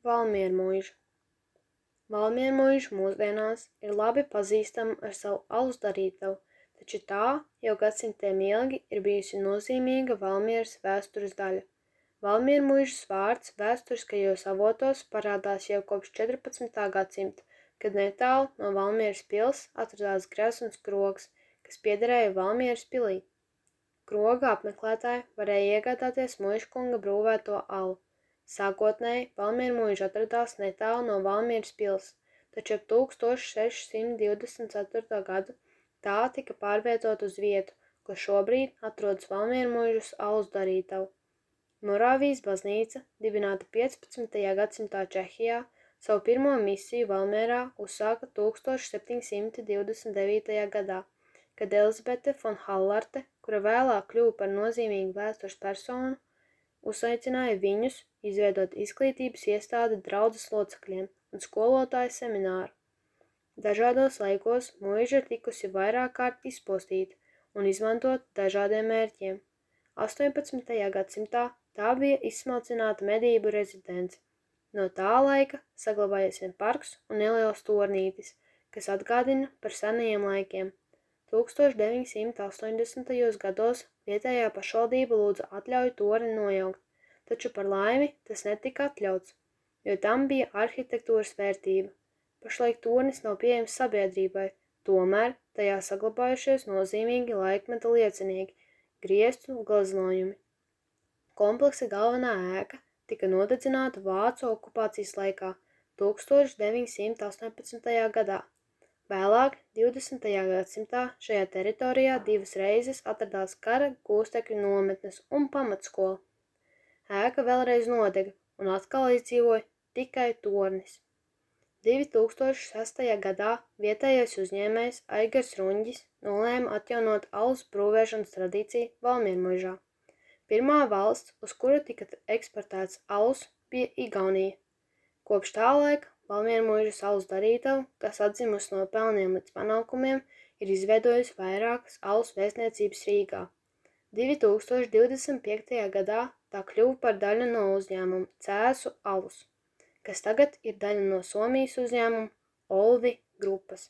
Valmiermuiža. Valmiermuiža mūsdienās ir labi pazīstama ar savu alus darītavu, taču tā jau gadsimtiem ilgi ir bijusi nozīmīga Valmieras vēstures daļa. Valmiermuižas vārds vēsturiskajos avotos parādās jau kopš 14. gadsimta, kad netālu no Valmieras pils atradās grezuns krogs, kas piederēja Valmieras pilī. Kroga apmeklētāji varēja iegādāties muižkunga brūvēto alu. Sākotnēji Valmiermuiža atradās netālu no Valmieras pils, taču ap 1624. gadu tā tika pārvietot uz vietu, kur šobrīd atrodas Valmiermuižas alus darītava. Morāvijas baznīca, dibināta 15. gadsimtā Čehijā, savu pirmo misiju Valmierā uzsāka 1729. gadā, kad Elizabete von Hallarte, kura vēlāk kļuva par nozīmīgu vēstures personu, uzaicināja viņus izveidot izglītības iestādi draudzes locekļiem un skolotāju semināru. Dažādos laikos muiža ir tikusi vairāk kārt izpostīta un izmantot dažādiem mērķiem. 18. gadsimtā tā bija izsmalcināta medību rezidence. No tā laika saglabājies vien parks un neliels tornītis, kas atgādina par senajiem laikiem. 1980. gados vietējā pašvaldība lūdza atļauju torni nojaukt, taču par laimi tas netika atļauts, jo tam bija arhitektūras vērtība. Pašlaik tornis nav pieejams sabiedrībai, tomēr tajā saglabājušies nozīmīgi laikmeta liecinieki – grieztu gleznojumi. Kompleksa galvenā ēka tika nodedzināta vācu okupācijas laikā 1918. gadā. Vēlāk, 20. gadsimtā, šajā teritorijā divas reizes atradās kara gūstekņu nometnes un pamatskola. Ēka vēlreiz nodega un atkal izdzīvoja tikai tornis. 2006. gadā vietējais uzņēmējs Aigars Ruņģis nolēma atjaunot alus brūvēšanas tradīciju Valmiermuižā. Pirmā valsts, uz kuru tika eksportēts alus, bija Igaunija. Kopš tā laika Valmiermuižas alus darītava, kas atzimusi no pelniem līdz panākumiem, ir izveidojusi vairākas alus vēstniecības Rīgā. 2025. gadā tā kļuva par daļu no uzņēmuma Cēsu alus, kas tagad ir daļa no Somijas uzņēmuma Olvi grupas.